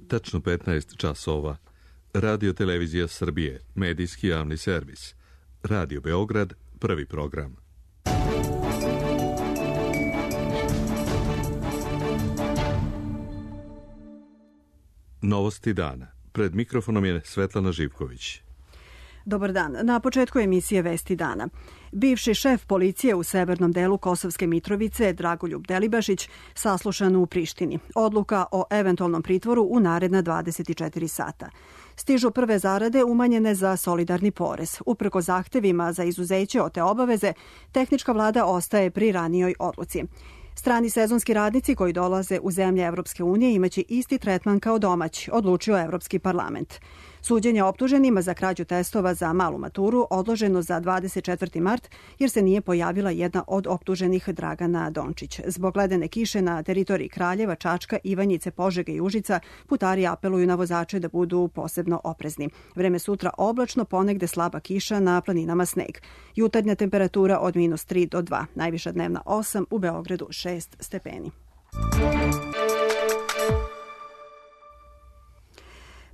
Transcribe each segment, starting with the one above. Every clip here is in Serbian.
tačno 15 časova. Radio Televizija Srbije, medijski javni servis. Radio Beograd, prvi program. Novosti dana. Pred mikrofonom je Svetlana Živković. Dobar dan. Na početku emisije Vesti dana. Bivši šef policije u severnom delu Kosovske Mitrovice, Dragoljub Delibašić, saslušan u Prištini. Odluka o eventualnom pritvoru u naredna 24 sata. Stižu prve zarade umanjene za solidarni porez. Uprko zahtevima za izuzeće od te obaveze, tehnička vlada ostaje pri ranijoj odluci. Strani sezonski radnici koji dolaze u zemlje Evropske unije imaće isti tretman kao domaći, odlučio Evropski parlament. Suđenje optuženima za krađu testova za malu maturu odloženo za 24. mart jer se nije pojavila jedna od optuženih, Dragana Dončić. Zbog ledene kiše na teritoriji Kraljeva, Čačka, Ivanjice, Požege i Užica, putari apeluju na vozače da budu posebno oprezni. Vreme sutra oblačno, ponegde slaba kiša, na planinama sneg. Jutarnja temperatura od -3 do 2, najviša dnevna 8, u Beogradu 6 stepeni.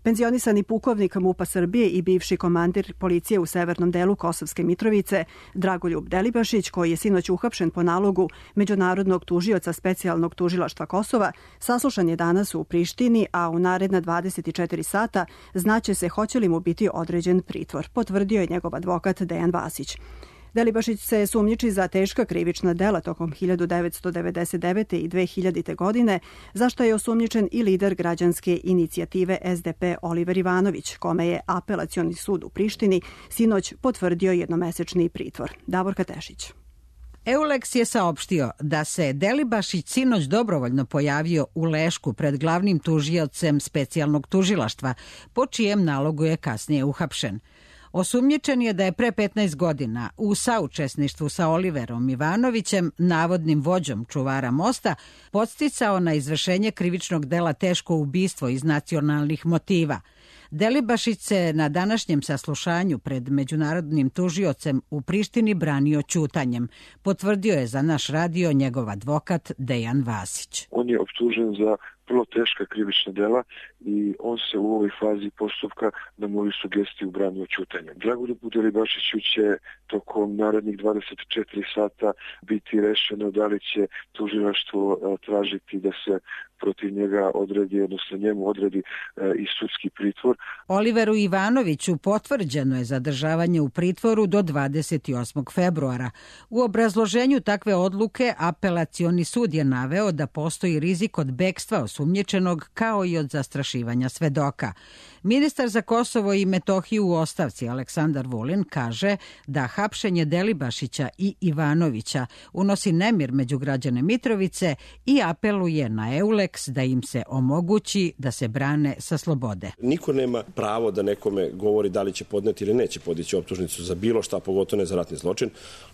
Penzionisani pukovnik MUP-a Srbije i bivši komandir policije u severnom delu Kosovske Mitrovice, Dragoljub Delibašić, koji je sinoć uhapšen po nalogu Međunarodnog tužioca specijalnog tužilaštva Kosova, saslušan je danas u Prištini, a u naredna 24 sata znaće se hoće li mu biti određen pritvor, potvrdio je njegov advokat Dejan Vasić. Delibašić se sumnjiči za teška krivična dela tokom 1999. i 2000. godine, za što je osumnjičen i lider građanske inicijative SDP Oliver Ivanović, kome je Apelacioni sud u Prištini sinoć potvrdio jednomesečni pritvor. Davorka Tešić. EULEX je saopštio da se Delibašić sinoć dobrovoljno pojavio u Lešku pred glavnim tužiocem specijalnog tužilaštva, po čijem nalogu je kasnije uhapšen. Osumnjičen je da je pre 15 godina u saučesništvu sa Oliverom Ivanovićem, navodnim vođom čuvara mosta, podsticao na izvršenje krivičnog dela teško ubistvo iz nacionalnih motiva. Delibašić se na današnjem saslušanju pred međunarodnim tužiocem u Prištini branio ćutanjem. Potvrdio je za naš radio njegov advokat Dejan Vasić. On je optužen za vrlo teška krivična dela i on se u ovoj fazi postupka na moju sugestiju branio ćutanjem. Dragoljubu Delibašiću će tokom narednih 24 sata biti rešeno da li će tužilaštvo tražiti da se protiv njega odredi, odnosno njemu odredi i sudski pritvor. Oliveru Ivanoviću potvrđeno je zadržavanje u pritvoru do 28. februara. U obrazloženju takve odluke Apelacioni sud je naveo da postoji rizik od bekstva osumnjičenog kao i od zastrašivanja svedoka. Ministar za Kosovo i Metohiju u ostavci Aleksandar Vulin kaže da hapšenje Delibašića i Ivanovića unosi nemir među građane Mitrovice i apeluje na EULEX da im se omogući da se brane sa slobode. Niko nema pravo da nekome govori da li će podneti ili neće podići optužnicu za bilo šta, pogotovo ne za ratni zločin,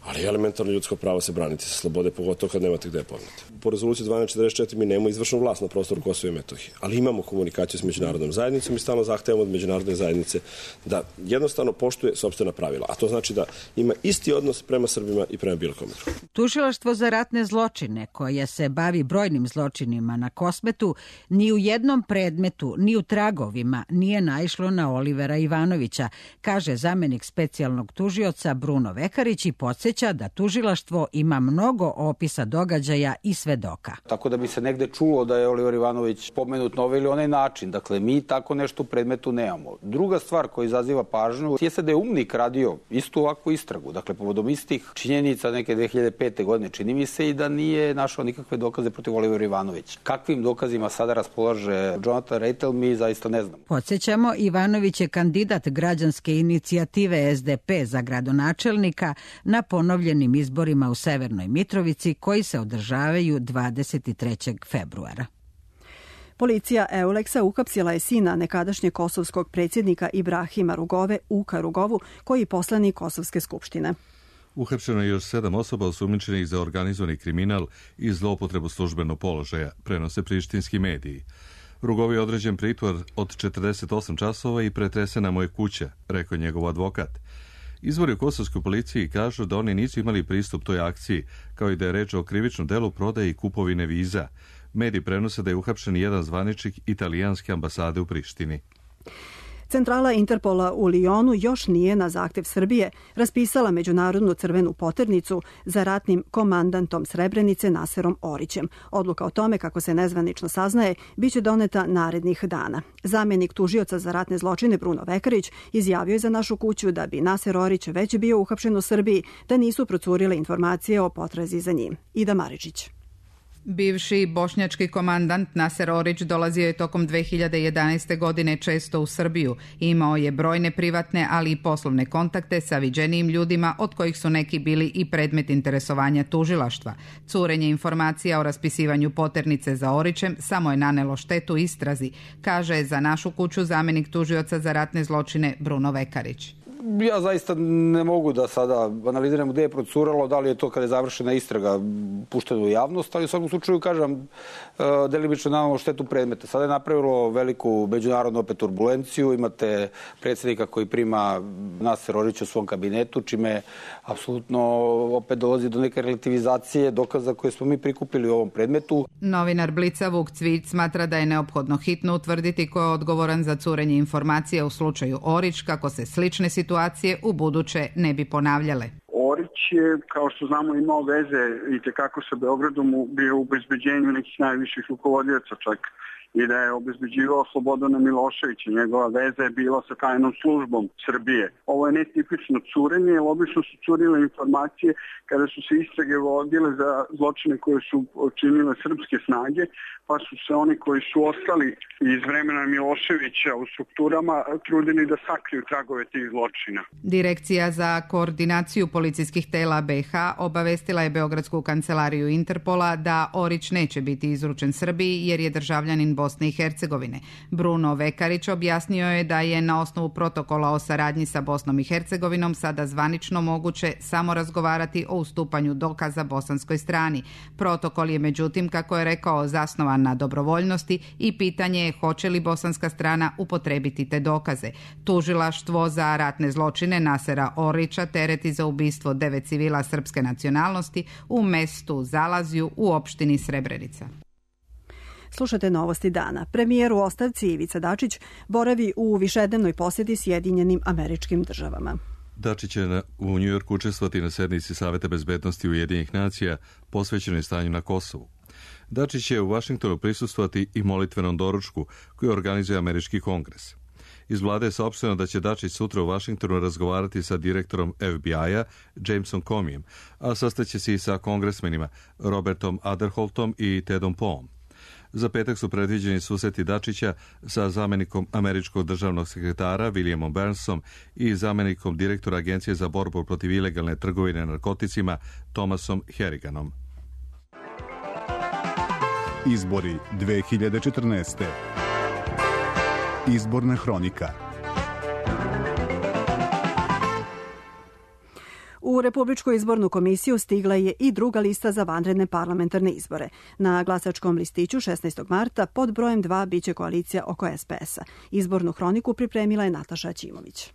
ali elementarno ljudsko pravo se braniti sa slobode, pogotovo kad nemate gde podneti. Po rezoluciji 1244 mi nemamo izvršnu vlast na prostoru Kosova i Metohije, ali imamo komunikaciju s međunarodnom zajednicom i stalno zahtevamo od međunarodne zajednice da jednostavno poštuje sopstvena pravila, a to znači da ima isti odnos prema Srbima i prema bilo kome. Tužilaštvo za ratne zločine, koje se bavi brojnim zločinima na Kosmetu, ni u jednom predmetu, ni u tragovima nije naišlo na Olivera Ivanovića, kaže zamenik specijalnog tužioca Bruno Vekarić i podsjeća da tužilaštvo ima mnogo opisa događaja i svedoka. Tako da bi se negde čulo da je Oliver Ivanović pomenut na ovaj ili onaj način. Dakle, mi tako nešto u predmetu nemamo. Druga stvar koja izaziva pažnju jeste da je UMNIK radio istu ovakvu istragu. Dakle, povodom istih činjenica neke 2005. godine čini mi se i da nije našao nikakve dokaze protiv Olivera Ivanovića. Kakvim dokazima sada raspolaže Jonathan Reitel, mi zaista ne znamo. Podsjećamo, Ivanović je kandidat građanske inicijative SDP za gradonačelnika na ponovljenim izborima u Severnoj Mitrovici koji se održavaju 23. februara. Policija EULEX-a uhapsila je sina nekadašnjeg kosovskog predsjednika Ibrahima Rugove, Uka Rugovu, koji je poslanik Kosovske skupštine. Uhapšeno je još 7 osoba osumnjičenih za organizovani kriminal i zloupotrebu službenog položaja, prenose prištinski mediji. Rugovi je određen pritvor od 48 časova i pretresena mu je kuća, rekao njegov advokat. Izvori u kosovskoj policiji kažu da oni nisu imali pristup toj akciji, kao i da je reč o krivičnom delu prodaje i kupovine viza. Mediji prenose da je uhapšen jedan zvaničnik italijanske ambasade u Prištini. Centrala Interpola u Lijonu još nije na zahtev Srbije raspisala međunarodnu crvenu poternicu za ratnim komandantom Srebrenice Naserom Orićem. Odluka o tome, kako se nezvanično saznaje, biće doneta narednih dana. Zamjenik tužioca za ratne zločine Bruno Vekarić izjavio je za Našu kuću da bi Naser Orić već bio uhapšen u Srbiji da nisu procurile informacije o potrazi za njim. Ida Maričić. Bivši bošnjački komandant Naser Orić dolazio je tokom 2011. godine često u Srbiju. Imao je brojne privatne, ali i poslovne kontakte sa viđenijim ljudima, od kojih su neki bili i predmet interesovanja tužilaštva. Curenje informacija o raspisivanju poternice za Orićem samo je nanelo štetu istrazi, kaže za Našu kuću zamjenik tužioca za ratne zločine Bruno Vekarić. Ja zaista ne mogu da sada analiziram gde je procuralo, da li je to kada je završena istraga pušteno u javnost, ali u svakom slučaju, kažem, delimično nanelo štetu predmeta. Sada je napravilo veliku međunarodnu opet turbulenciju, imate predsjednika koji prima Naser Orić u svom kabinetu, čime apsolutno opet dolazi do neke relativizacije dokaza koje smo mi prikupili u ovom predmetu. Novinar Blica Vuk Cvijić smatra da je neophodno hitno utvrditi ko je odgovoran za curenje informacija u slučaju Orić, kako se slične situacije u buduće ne bi ponavljale. Orić je, kao što znamo, imao veze i tekako sa Beogradom, bio u obezbeđenju nekih najviših rukovodioca čak i da je obezbeđivao Slobodana Miloševića. Njegova veza je bila sa tajnom službom Srbije. Ovo je netipično curenje, jer obično su curile informacije kada su se istrage vodile za zločine koje su činile srpske snage, pa su se oni koji su ostali iz vremena Miloševića u strukturama trudili da sakriju tragove tih zločina. Direkcija za koordinaciju policijskih tela BiH obavestila je Beogradsku kancelariju Interpola da Orić neće biti izručen Srbiji jer je državljanin Bosne i Hercegovine. Bruno Vekarić objasnio je da je na osnovu protokola o saradnji sa Bosnom i Hercegovinom sada zvanično moguće samo razgovarati o ustupanju dokaza bosanskoj strani. Protokol je međutim, kako je rekao, zasnovan na dobrovoljnosti i pitanje je hoće li bosanska strana upotrebiti te dokaze. Tužilaštvo za ratne zločine Nasera Orića tereti za ubistvo 9 civila srpske nacionalnosti u mestu Zalazju u opštini Srebrenica. Slušate novosti dana. Premijer u ostavci Ivica Dačić boravi u višednevnoj posjeti Sjedinjenim Američkim Državama. Dačić će u Njujorku učestvovati na sednici Saveta bezbednosti Ujedinjenih nacija posvećenoj stanju na Kosovu. Dačić će u Vašingtonu prisustvovati i molitvenom doručku koju organizuje Američki kongres. Iz vlade je saopšteno da će Dačić sutra u Vašingtonu razgovarati sa direktorom FBI-a Jamesom Comeym, a sastaće se i sa kongresmenima Robertom Aderholtom i Tedom Poom. Za petak su predviđeni susreti Dačića sa zamjenikom američkog državnog sekretara Williamom Burnsom i zamjenikom direktora Agencije za borbu protiv ilegalne trgovine narkoticima Thomasom Harriganom. Izbori 2014. Izborna hronika. U Republičku izbornu komisiju stigla je i druga lista za vanredne parlamentarne izbore. Na glasačkom listiću 16. marta pod brojem 2 biće koalicija oko SPS-a. Izbornu hroniku pripremila je Nataša Ćimović.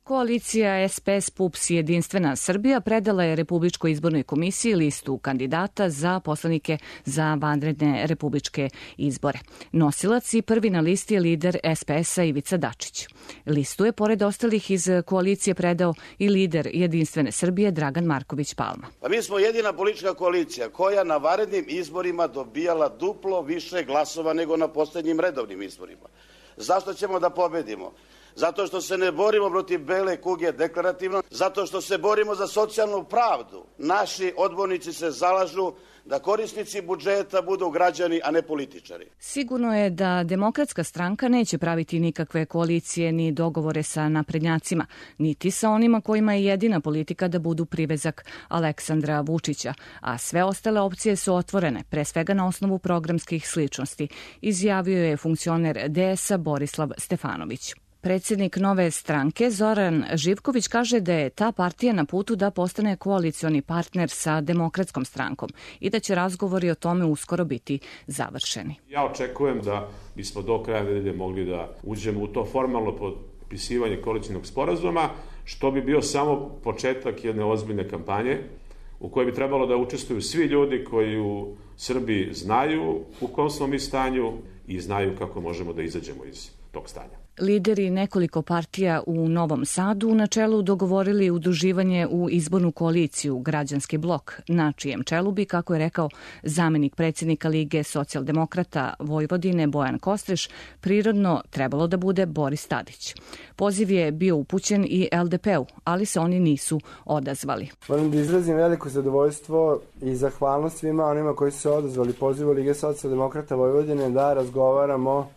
Koalicija SPS PUPS Jedinstvena Srbija predala je Republičkoj izbornoj komisiji listu kandidata za poslanike za vanredne republičke izbore. Nosilac i prvi na listi je lider SPS-a Ivica Dačić. Listu je, pored ostalih iz koalicije, predao i lider Jedinstvene Srbije Dragan Marković Palma. Pa mi smo jedina politička koalicija koja na vanrednim izborima dobijala duplo više glasova nego na posljednjim redovnim izborima. Zašto ćemo da pobedimo? Zato što se ne borimo protiv bele kuge deklarativno, zato što se borimo za socijalnu pravdu. Naši odbornici se zalažu da korisnici budžeta budu građani, a ne političari. Sigurno je da Demokratska stranka neće praviti nikakve koalicije ni dogovore sa naprednjacima, niti sa onima kojima je jedina politika da budu privezak Aleksandra Vučića, a sve ostale opcije su otvorene, pre svega na osnovu programskih sličnosti, izjavio je funkcioner DS-a Borislav Stefanović. Predsjednik Nove stranke Zoran Živković kaže da je ta partija na putu da postane koalicioni partner sa Demokratskom strankom i da će razgovori o tome uskoro biti završeni. Ja očekujem da bismo do kraja nedelje mogli da uđemo u to formalno potpisivanje koalicionog sporazuma, što bi bio samo početak jedne ozbiljne kampanje u kojoj bi trebalo da učestvuju svi ljudi koji u Srbiji znaju u kom smo mi stanju i znaju kako možemo da izađemo iz tog stanja. Lideri nekoliko partija u Novom Sadu na čelu dogovorili udruživanje u izbornu koaliciju Građanski blok, na čijem čelu bi, kako je rekao zamenik predsjednika Lige socijaldemokrata Vojvodine Bojan Kostreš, prirodno trebalo da bude Boris Tadić. Poziv je bio upućen i LDP-u, ali se oni nisu odazvali. Moram da izrazim veliko zadovoljstvo i zahvalnost svima onima koji su se odazvali pozivu Lige socijaldemokrata Vojvodine da razgovaramo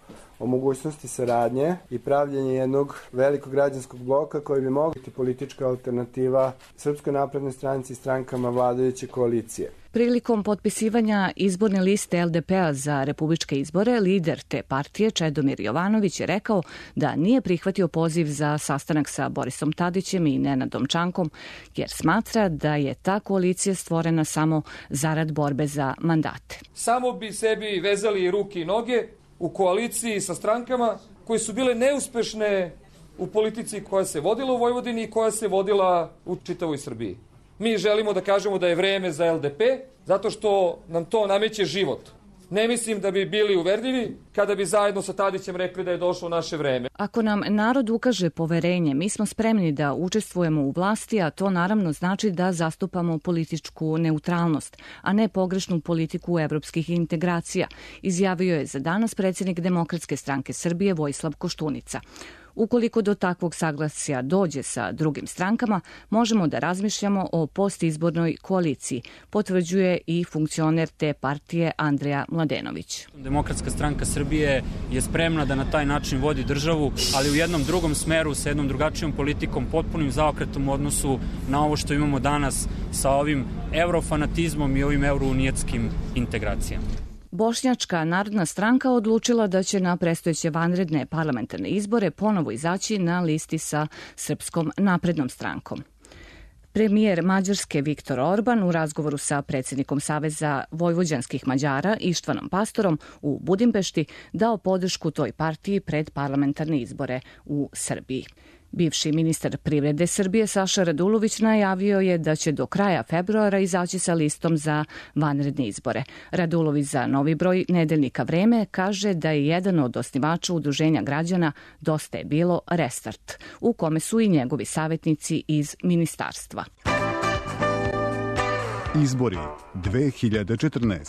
o mogućnosti saradnje i pravljenje jednog velikog građanskog bloka koji bi mogla biti politička alternativa Srpskoj naprednoj stranci i strankama vladajuće koalicije. Prilikom potpisivanja izborne liste LDP-a za republičke izbore, lider te partije Čedomir Jovanović je rekao da nije prihvatio poziv za sastanak sa Borisom Tadićem i Nenadom Čankom, jer smatra da je ta koalicija stvorena samo zarad borbe za mandate. Samo bi sebi vezali ruke i noge u koaliciji sa strankama koje su bile neuspešne u politici koja se vodila u Vojvodini i koja se vodila u čitavoj Srbiji. Mi želimo da kažemo da je vreme za LDP, zato što nam to nameće život. Ne mislim da bi bili uverljivi kada bi zajedno sa Tadićem rekli da je došlo naše vreme. Ako nam narod ukaže poverenje, mi smo spremni da učestvujemo u vlasti, a to naravno znači da zastupamo političku neutralnost, a ne pogrešnu politiku evropskih integracija, izjavio je za danas predsjednik Demokratske stranke Srbije Vojislav Koštunica. Ukoliko do takvog saglasja dođe sa drugim strankama, možemo da razmišljamo o postizbornoj koaliciji, potvrđuje i funkcioner te partije Andreja Mladenović. Demokratska stranka Srbije je spremna da na taj način vodi državu, ali u jednom drugom smeru, sa jednom drugačijom politikom, potpunim zaokretom u odnosu na ovo što imamo danas sa ovim eurofanatizmom i ovim eurounijetskim integracijama. Bošnjačka narodna stranka odlučila da će na predstojeće vanredne parlamentarne izbore ponovo izaći na listi sa Srpskom naprednom strankom. Premijer Mađarske Viktor Orban u razgovoru sa predsjednikom Saveza vojvođanskih Mađara Ištvanom Pastorom u Budimpešti dao podršku toj partiji pred parlamentarne izbore u Srbiji. Bivši ministar privrede Srbije Saša Radulović najavio je da će do kraja februara izaći sa listom za vanredne izbore. Radulović za Novi broj nedeljnika Vreme kaže da je jedan od osnivača udruženja građana Dosta je bilo Restart, u kome su i njegovi savjetnici iz ministarstva. Izbori 2014.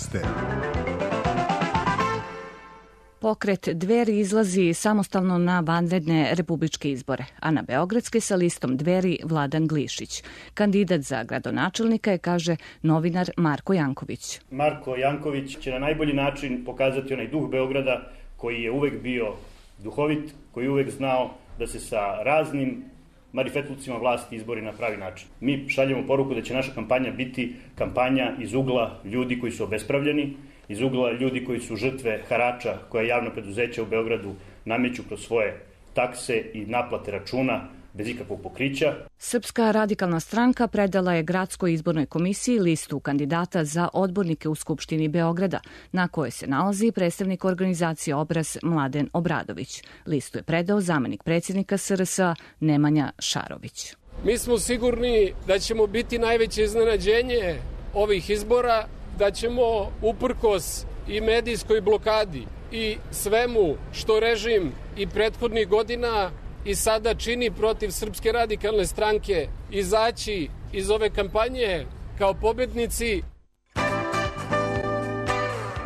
Pokret Dveri izlazi samostalno na vanredne republičke izbore, a na beogradske sa listom Dveri Vladan Glišić. Kandidat za gradonačelnika je, kaže novinar Marko Janković. Marko Janković će na najbolji način pokazati onaj duh Beograda koji je uvek bio duhovit, koji je uvek znao da se sa raznim marifetlucima vlasti izbori na pravi način. Mi šaljemo poruku da će naša kampanja biti kampanja iz ugla ljudi koji su obespravljeni, iz ugla ljudi koji su žrtve harača koja javna preduzeća u Beogradu nameću kroz svoje takse i naplate računa bez ikakvog pokrića. Srpska radikalna stranka predala je Gradskoj izbornoj komisiji listu kandidata za odbornike u Skupštini Beograda, na kojoj se nalazi predstavnik organizacije Obraz Mladen Obradović. Listu je predao zamenik predsjednika SRS Nemanja Šarović. Mi smo sigurni da ćemo biti najveće iznenađenje ovih izbora, da ćemo uprkos i medijskoj blokadi i svemu što režim i prethodnih godina i sada čini protiv Srpske radikalne stranke izaći iz ove kampanje kao pobednici.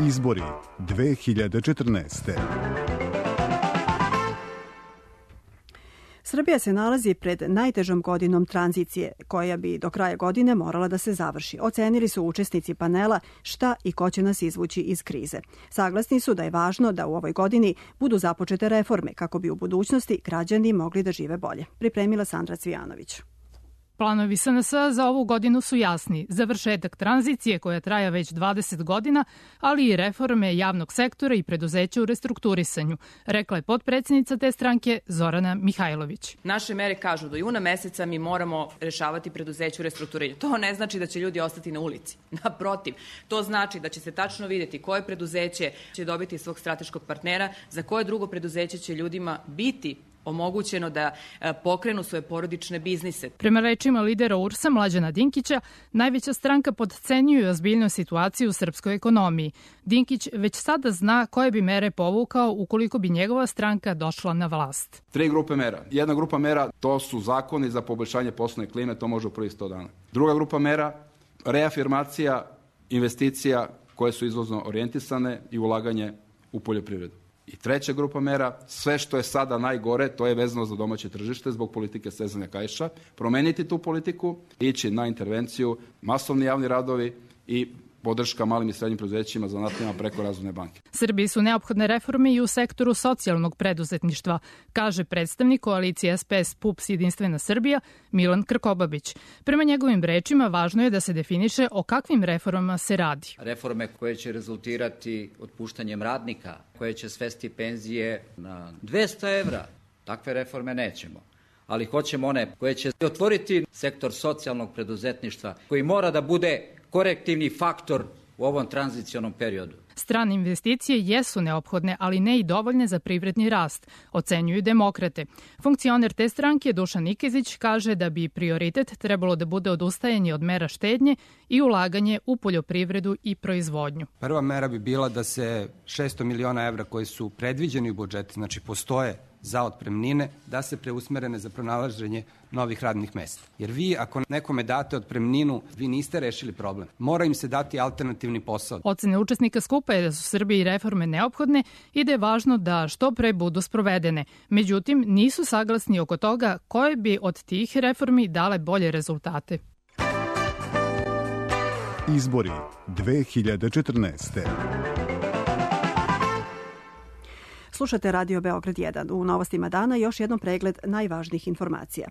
Izbori 2014. Srbija se nalazi pred najtežom godinom tranzicije, koja bi do kraja godine morala da se završi. Ocenili su učesnici panela šta i ko će nas izvući iz krize. Saglasni su da je važno da u ovoj godini budu započete reforme kako bi u budućnosti građani mogli da žive bolje. Pripremila Sandra Cvijanović. Planovi SNS za ovu godinu su jasni. Završetak tranzicije koja traja već 20 godina, ali i reforme javnog sektora i preduzeća u restrukturisanju, rekla je potpredsjednica te stranke Zorana Mihajlović. Naše mere kažu do juna meseca mi moramo rešavati preduzeće u restrukturiranju. To ne znači da će ljudi ostati na ulici. Naprotiv, to znači da će se tačno vidjeti koje preduzeće će dobiti svog strateškog partnera, za koje drugo preduzeće će ljudima biti omogućeno da pokrenu svoje porodične biznise. Prema rečima lidera URS-a Mlađana Dinkića, najveća stranka podcenjuje ozbiljnu situaciju u srpskoj ekonomiji. Dinkić već sada zna koje bi mere povukao ukoliko bi njegova stranka došla na vlast. 3 grupe mera. Jedna grupa mera, to su zakoni za poboljšanje poslovne klime, to može u prvih 100 dana. Druga grupa mera, reafirmacija investicija koje su izvozno orijentisane i ulaganje u poljoprivredu. I treća grupa mera, sve što je sada najgore, to je vezano za domaće tržište zbog politike stezanja kaiša, promeniti tu politiku, ići na intervenciju, masovni javni radovi i podrška malim i srednjim preduzećima zanatima preko Razvojne banke. Srbiji su neophodne reforme i u sektoru socijalnog preduzetništva, kaže predstavnik koalicije SPS PUPS Jedinstvena Srbija Milan Krkobabić. Prema njegovim rečima, važno je da se definiše o kakvim reformama se radi. Reforme koje će rezultirati otpuštanjem radnika, koje će svesti penzije na 200 evra, takve reforme nećemo. Ali hoćemo one koje će otvoriti sektor socijalnog preduzetništva, koji mora da bude korektivni faktor u ovom tranzicionom periodu. Strane investicije jesu neophodne, ali ne i dovoljne za privredni rast, ocenjuju demokrate. Funkcioner te stranke Dušan Nikezić kaže da bi prioritet trebalo da bude odustajanje od mera štednje i ulaganje u poljoprivredu i proizvodnju. Prva mera bi bila da se 600 miliona evra koji su predviđeni u budžetu, znači postoje za otpremnine, da se preusmerene za pronalaženje novih radnih mesta. Jer vi, ako nekome date otpremninu, vi niste rešili problem. Mora im se dati alternativni posao. Ocene učesnika skupa je da su Srbiji reforme neophodne i da je važno da što pre budu sprovedene. Međutim, nisu saglasni oko toga koje bi od tih reformi dale bolje rezultate. Izbori 2014. Slušate Radio Beograd 1. U novostima dana još jednom pregled najvažnijih informacija.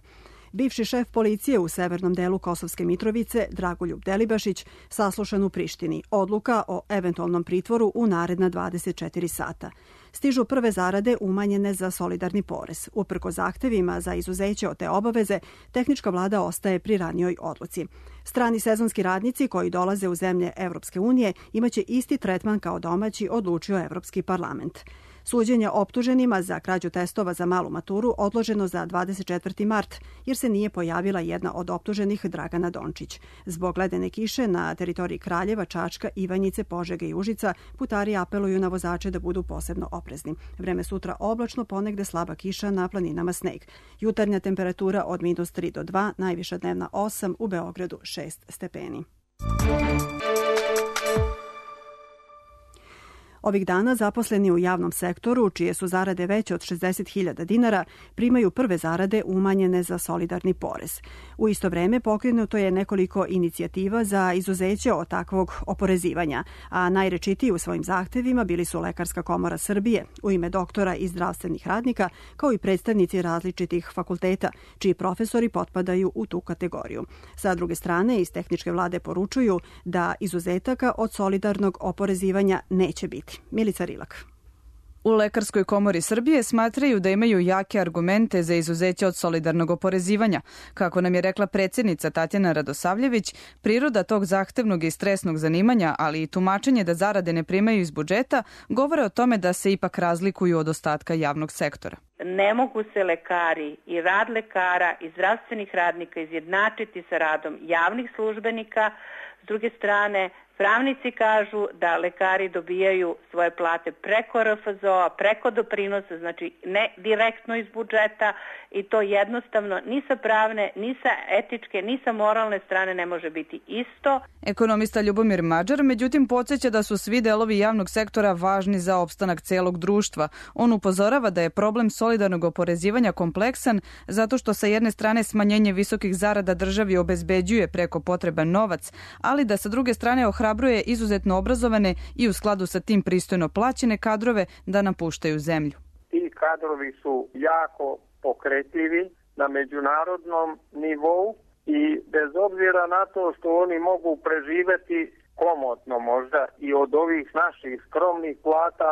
Bivši šef policije u severnom delu Kosovske Mitrovice, Dragoljub Delibašić, saslušan u Prištini. Odluka o eventualnom pritvoru u naredna 24 sata. Stižu prve zarade umanjene za solidarni porez. Uprko zahtevima za izuzeće od te obaveze, tehnička vlada ostaje pri ranijoj odluci. Strani sezonski radnici koji dolaze u zemlje Evropske unije imaće isti tretman kao domaći, odlučio Evropski parlament. Suđenje optuženima za krađu testova za malu maturu odloženo za 24. mart, jer se nije pojavila jedna od optuženih, Dragana Dončić. Zbog ledene kiše na teritoriji Kraljeva, Čačka, Ivanjice, Požege i Užica, putari apeluju na vozače da budu posebno oprezni. Vreme sutra oblačno, ponegde slaba kiša, na planinama sneg. Jutarnja temperatura od -3 do 2, najviša dnevna 8, u Beogradu 6 stepeni. Ovih dana zaposleni u javnom sektoru, čije su zarade veće od 60.000 dinara, primaju prve zarade umanjene za solidarni porez. U isto vreme pokrenuto je nekoliko inicijativa za izuzeće od takvog oporezivanja, a najrečitiji u svojim zahtevima bili su Lekarska komora Srbije, u ime doktora i zdravstvenih radnika, kao i predstavnici različitih fakulteta, čiji profesori potpadaju u tu kategoriju. Sa druge strane, iz tehničke vlade poručuju da izuzetaka od solidarnog oporezivanja neće biti. Milica Rilak. U Lekarskoj komori Srbije smatraju da imaju jake argumente za izuzeće od solidarnog oporezivanja. Kako nam je rekla predsjednica Tatjana Radosavljević, priroda tog zahtevnog i stresnog zanimanja, ali i tumačenje da zarade ne primaju iz budžeta, govore o tome da se ipak razlikuju od ostatka javnog sektora. Ne mogu se lekari i rad lekara i zdravstvenih radnika izjednačiti sa radom javnih službenika. S druge strane, pravnici kažu da lekari dobijaju svoje plate preko RFZO-a, preko doprinosa, znači ne direktno iz budžeta, i to jednostavno ni sa pravne, ni sa etičke, ni sa moralne strane ne može biti isto. Ekonomista Ljubomir Mađar, međutim, podsjeća da su svi delovi javnog sektora važni za opstanak celog društva. On upozorava da je problem solidarnog oporezivanja kompleksan zato što sa jedne strane smanjenje visokih zarada državi obezbeđuje preko potreban novac, ali da sa druge strane ohrabruje izuzetno obrazovane i u skladu sa tim pristojno plaćene kadrove da napuštaju zemlju. Ti kadrovi su jako pokretljivi na međunarodnom nivou i bez obzira na to što oni mogu preživeti komotno možda i od ovih naših skromnih plata,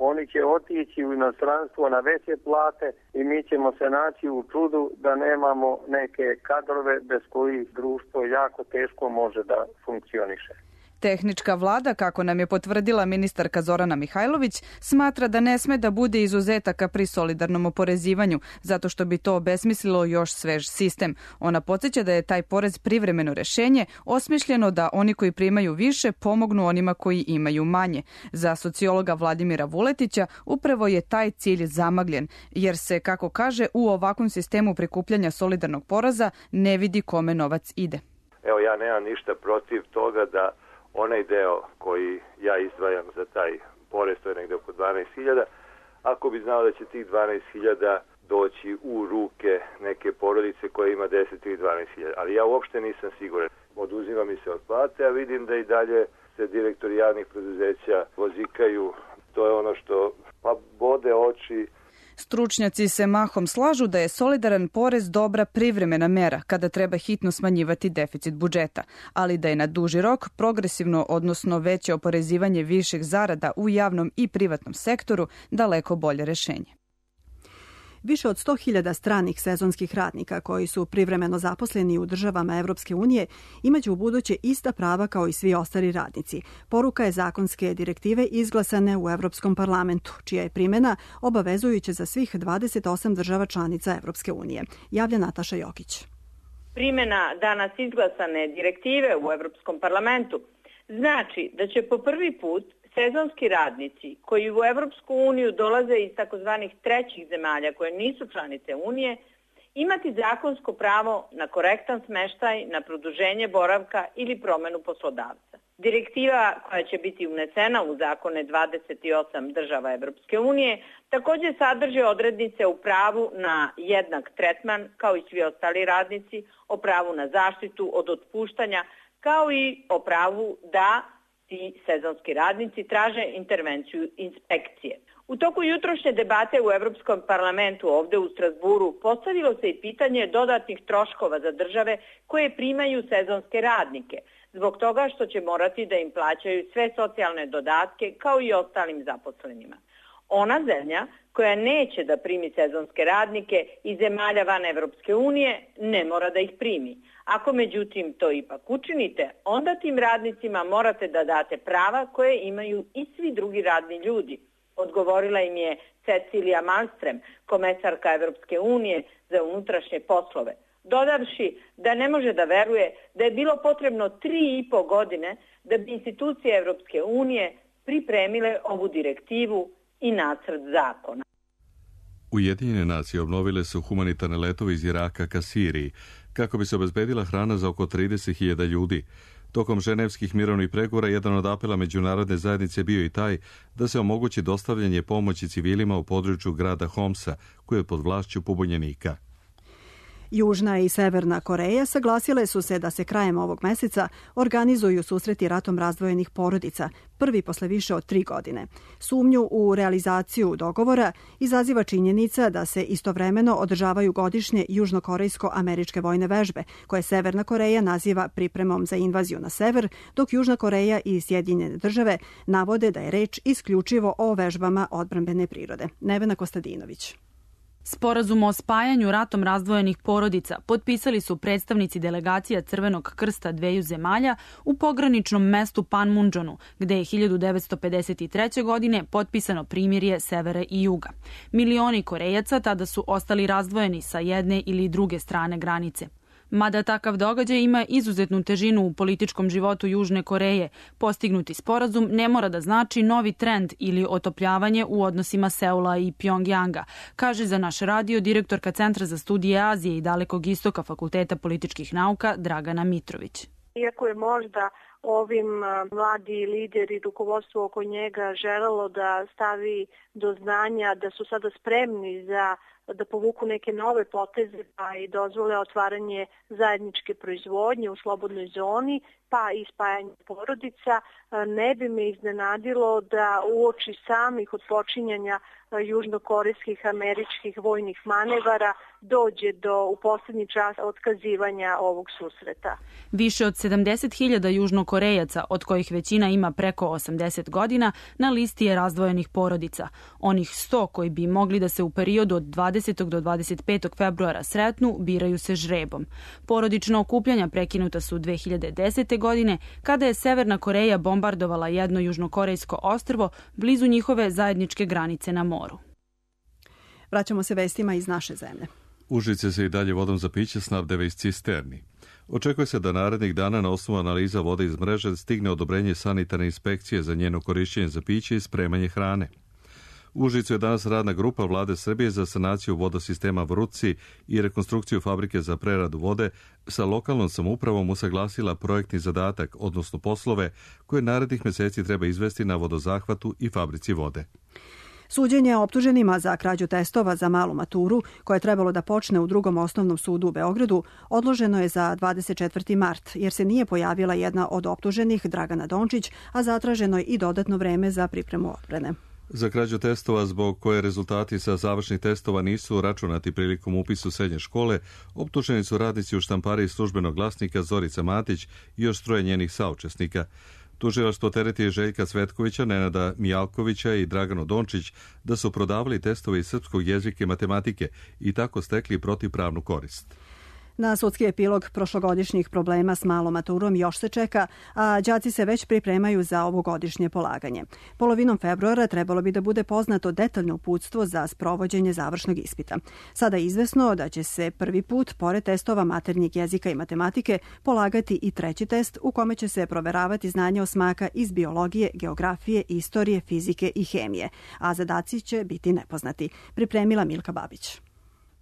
oni će otići u inostranstvo na veće plate i mi ćemo se naći u čudu da nemamo neke kadrove bez kojih društvo jako teško može da funkcioniše. Tehnička vlada, kako nam je potvrdila ministarka Zorana Mihajlović, smatra da ne sme da bude izuzetaka pri solidarnom oporezivanju, zato što bi to obesmislilo još svež sistem. Ona podsjeća da je taj porez privremeno rešenje, osmišljeno da oni koji primaju više pomognu onima koji imaju manje. Za sociologa Vladimira Vuletića upravo je taj cilj zamagljen, jer se, kako kaže, u ovakvom sistemu prikupljanja solidarnog poreza ne vidi kome novac ide. Evo, ja nemam ništa protiv toga da onaj deo koji ja izdvajam za taj porez, to je negde oko 12.000, ako bi znao da će tih 12.000 doći u ruke neke porodice koja ima 10 ili 12.000, ali ja uopšte nisam siguran. Oduzima mi se od plate, a vidim da i dalje se direktori javnih preduzeća vozikaju. To je ono što bode oči. Stručnjaci se mahom slažu da je solidaran porez dobra privremena mera kada treba hitno smanjivati deficit budžeta, ali da je na duži rok progresivno, odnosno veće oporezivanje viših zarada u javnom i privatnom sektoru daleko bolje rešenje. Više od 100.000 stranih sezonskih radnika koji su privremeno zaposleni u državama Evropske unije imaće u buduće ista prava kao i svi ostali radnici. Poruka je zakonske direktive izglasane u Evropskom parlamentu, čija je primjena obavezujuća za svih 28 država članica Evropske unije. Javlja Nataša Jokić. Primjena danas izglasane direktive u Evropskom parlamentu znači da će po prvi put sezonski radnici koji u Evropsku uniju dolaze iz takozvanih trećih zemalja koje nisu članice Unije imati zakonsko pravo na korektan smeštaj, na produženje boravka ili promenu poslodavca. Direktiva koja će biti unesena u zakone 28 država Evropske unije također sadrži odrednice u pravu na jednak tretman kao i svi ostali radnici, o pravu na zaštitu od otpuštanja kao i o pravu da ti sezonski radnici traže intervenciju inspekcije. U toku jutrošnje debate u Evropskom parlamentu ovde u Strasburu postavilo se i pitanje dodatnih troškova za države koje primaju sezonske radnike, zbog toga što će morati da im plaćaju sve socijalne dodatke kao i ostalim zaposlenima. Ona zemlja koja neće da primi sezonske radnike iz zemalja van Evropske unije ne mora da ih primi. Ako međutim to ipak učinite, onda tim radnicima morate da date prava koje imaju i svi drugi radni ljudi. Odgovorila im je Cecilija Malmström, komesarka Evropske unije za unutrašnje poslove, dodavši da ne može da veruje da je bilo potrebno 3,5 godine da bi institucije Evropske unije pripremile ovu direktivu i nacrt zakona. Ujedinjene nacije obnovile su humanitarne letove iz Iraka ka Siriji, kako bi se obezbedila hrana za oko 30.000 ljudi. Tokom ženevskih mirovnih pregovora jedan od apela međunarodne zajednice bio i taj da se omogući dostavljanje pomoći civilima u području grada Homsa, koji je pod vlašću pobunjenika. Južna i Severna Koreja saglasile su se da se krajem ovog meseca organizuju susreti ratom razdvojenih porodica, prvi posle više od 3 godine. Sumnju u realizaciju dogovora izaziva činjenica da se istovremeno održavaju godišnje južnokorejsko-američke vojne vežbe, koje Severna Koreja naziva pripremom za invaziju na sever, dok Južna Koreja i Sjedinjene države navode da je reč isključivo o vežbama odbrambene prirode. Nevena Kostadinović. Sporazum o spajanju ratom razdvojenih porodica potpisali su predstavnici delegacija Crvenog krsta dveju zemalja u pograničnom mestu Panmunjonu, gde je 1953. godine potpisano primirje severa i juga. Milioni Korejaca tada su ostali razdvojeni sa jedne ili druge strane granice. Mada takav događaj ima izuzetnu težinu u političkom životu Južne Koreje, postignuti sporazum ne mora da znači novi trend ili otopljavanje u odnosima Seula i Pjongjanga, kaže za naš radio direktorka Centra za studije Azije i Dalekog istoka Fakulteta političkih nauka Dragana Mitrović. Iako je možda ovim mladi lideri i rukovodstvo oko njega želelo da stavi do znanja da su sada spremni da povuku neke nove poteze pa i dozvole otvaranje zajedničke proizvodnje u slobodnoj zoni pa i spajanje porodica, ne bi me iznenadilo da uoči samih odpočinjanja južnokorejskih američkih vojnih manevara dođe do u posljednji čas otkazivanja ovog susreta. Više od 70.000 južnokorejaca, od kojih većina ima preko 80 godina, na listi je razdvojenih porodica. Onih 100 koji bi mogli da se u periodu od 20. do 25. februara sretnu, biraju se žrebom. Porodična okupljanja prekinuta su 2010. godine, kada je Severna Koreja bombardovala jedno južnokorejsko ostrvo blizu njihove zajedničke granice na moru. Vraćamo se vestima iz naše zemlje. Užice se i dalje vodom za piće snabdeva iz cisterni. Očekuje se da narednih dana na osnovu analiza vode iz mreže stigne odobrenje sanitarne inspekcije za njeno korišćenje za piće i spremanje hrane. U Užicu je danas radna grupa Vlade Srbije za sanaciju vodosistema Vrutci i rekonstrukciju fabrike za preradu vode sa lokalnom samoupravom usaglasila projektni zadatak, odnosno poslove koje narednih meseci treba izvesti na vodozahvatu i fabrici vode. Suđenje optuženima za krađu testova za malu maturu, koje je trebalo da počne u Drugom osnovnom sudu u Beogradu, odloženo je za 24. mart, jer se nije pojavila jedna od optuženih, Dragana Dončić, a zatraženo je i dodatno vreme za pripremu odbrane. Za krađu testova, zbog koje rezultati sa završnih testova nisu računati prilikom upisu srednje škole, optuženi su radnici u štampariji Službenog glasnika Zorica Matić i još troje njenih saučesnika. Tužilaštvo tereti Željka Cvetkovića, Nenada Mijalkovića i Draganu Dončić da su prodavali testove iz srpskog jezika i matematike i tako stekli protivpravnu korist. Na sudski epilog prošlogodišnjih problema s malom maturom još se čeka, a đaci se već pripremaju za ovogodišnje polaganje. Polovinom februara trebalo bi da bude poznato detaljno uputstvo za sprovođenje završnog ispita. Sada je izvesno da će se prvi put, pored testova maternjeg jezika i matematike, polagati i treći test u kome će se proveravati znanje osmaka iz biologije, geografije, istorije, fizike i hemije, a zadaci će biti nepoznati. Pripremila Milka Babić.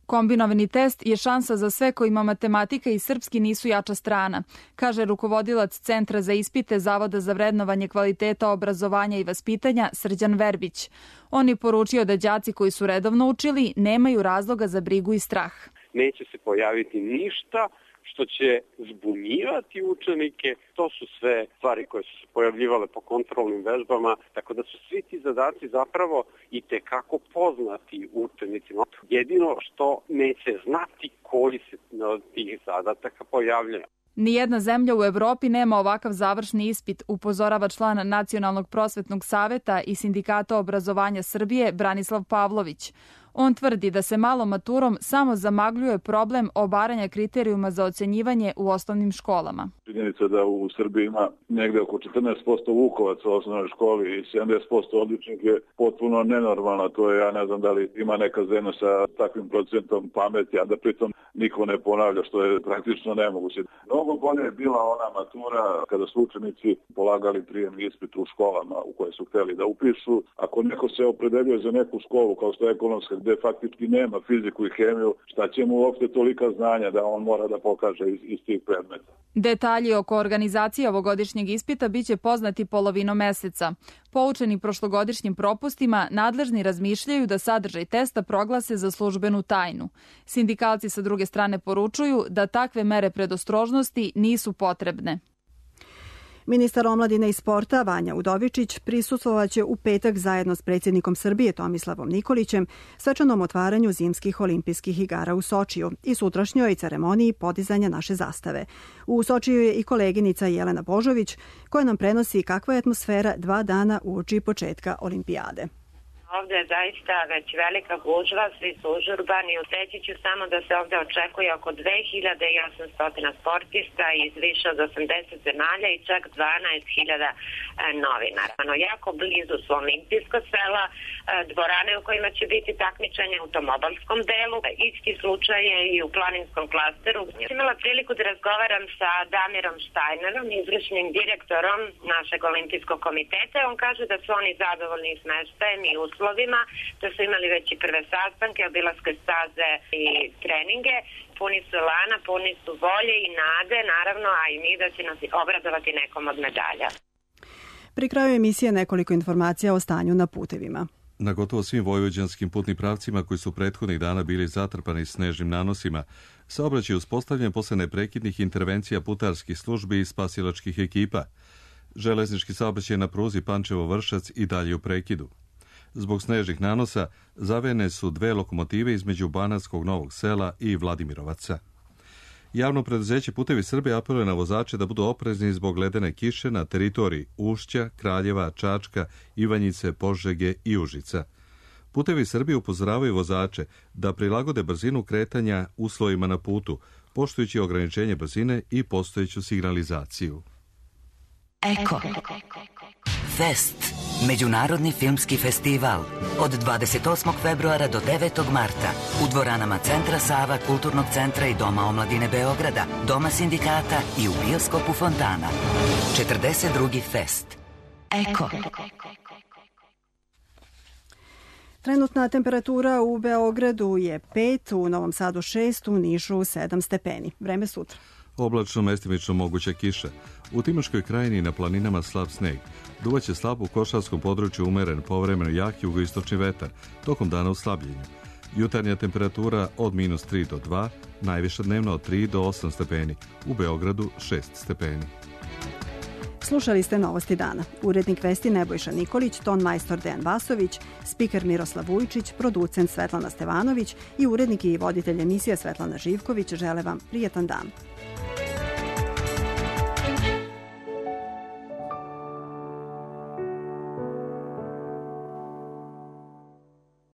Kombinovani test je šansa za sve kojima matematika i srpski nisu jača strana, kaže rukovodilac Centra za ispite Zavoda za vrednovanje kvaliteta obrazovanja i vaspitanja Srđan Verbić. On je poručio da đaci koji su redovno učili nemaju razloga za brigu i strah. Neće se pojaviti ništa što će zbunjivati učenike. To su sve stvari koje su se pojavljivale po kontrolnim vežbama, tako da su svi ti zadaci zapravo i tekako poznati učenicima. Jedino što neće znati koji se od tih zadataka pojavljaju. Nijedna zemlja u Evropi nema ovakav završni ispit, upozorava član Nacionalnog prosvetnog saveta i Sindikata obrazovanja Srbije Branislav Pavlović. On tvrdi da se malom maturom samo zamagljuje problem obaranja kriterijuma za ocenjivanje u osnovnim školama. Činjenica da u Srbiji ima negde oko 14% vukovaca u osnovnoj školi i 70% odličnih je potpuno nenormalno. To je, ja ne znam da li ima neka zemlja sa takvim procentom pameti, a da pritom niko ne ponavlja, što je praktično nemoguće. Mnogo bolje je bila ona matura kada su učenici polagali prijemni ispit u školama u koje su hteli da upišu. Ako neko se opredeljuje za neku školu kao što je ekonomska, gde faktički nema fiziku i hemiju, šta će mu uopšte tolika znanja da on mora da pokaže iz tih predmeta. Detalji oko organizacije ovogodišnjeg ispita biće poznati polovinom meseca. Poučeni prošlogodišnjim propustima, nadležni razmišljaju da sadržaj testa proglase za službenu tajnu. Sindikalci sa druge strane poručuju da takve mere predostrožnosti nisu potrebne. Ministar omladine i sporta Vanja Udovičić prisustvovaće u petak zajedno s predsjednikom Srbije Tomislavom Nikolićem svečanom otvaranju zimskih olimpijskih igara u Sočiju i sutrašnjoj ceremoniji podizanja naše zastave. U Sočiju je i koleginica Jelena Božović koja nam prenosi kakva je atmosfera 2 dana uoči početka olimpijade. Ovde je zaista već velika gužva, svi su užurbani. Reći ću samo da se ovde očekuje oko 2800 sportista iz više od 80 zemalja i čak 12.000 novinara. Jako blizu su olimpijsko sela, dvorane u kojima će biti takmičenje u automobilskom delu. Isti slučaj je i u planinskom klasteru. Imala priliku da razgovaram sa Damirom Štajnerom, izvršnim direktorom našeg olimpijskog komiteta. On kaže da su oni zadovoljni smeštajem i uslovima, da su imali već i prve sastanke, obilaske staze i treninge. Puni su elana, puni su volje i nade, naravno, a i mi da će nas obradovati nekom od medalja. Pri kraju emisije nekoliko informacija o stanju na putevima. Na gotovo svim vojvođanskim putnim pravcima koji su prethodnih dana bili zatrpani snežnim nanosima, saobraćaj je uspostavljen posle neprekidnih intervencija putarskih službi i spasilačkih ekipa. Železnički saobraćaj na pruzi Pančevo-Vršac i dalje u prekidu. Zbog snežnih nanosa zavejane su 2 lokomotive između Banatskog Novog Sela i Vladimirovaca. Javno preduzeće Putevi Srbije apeluje na vozače da budu oprezni zbog ledene kiše na teritoriji Ušća, Kraljeva, Čačka, Ivanjice, Požege i Užica. Putevi Srbije upozoravaju vozače da prilagode brzinu kretanja uslovima na putu, poštujući ograničenje brzine i postojeću signalizaciju. Eko. Fest. Međunarodni filmski festival. Od 28. februara do 9. marta. U dvoranama Centra Sava, Kulturnog centra i Doma omladine Beograda, Doma sindikata i u bioskopu Fontana. 42. fest. Eko. Trenutna temperatura u Beogradu je 5, u Novom Sadu 6, u Nišu 7 stepeni. Vreme sutra. Oblačno, mestimično moguća kiša. U Timočkoj krajini i na planinama slab sneg. Duvaće slab u Košarskom području, umeren, povremeno jak jugoistočni vetar, tokom dana u slabljenju. Jutarnja temperatura od -3 do 2, najviša dnevno od 3 do 8 stepeni. U Beogradu 6 stepeni. Slušali ste Novosti dana. Urednik vesti Nebojša Nikolić, ton majstor Dejan Vasović, spiker Miroslav Vujčić, producent Svetlana Stevanović i urednik i voditelj emisije Svetlana Živković žele vam prijetan dan.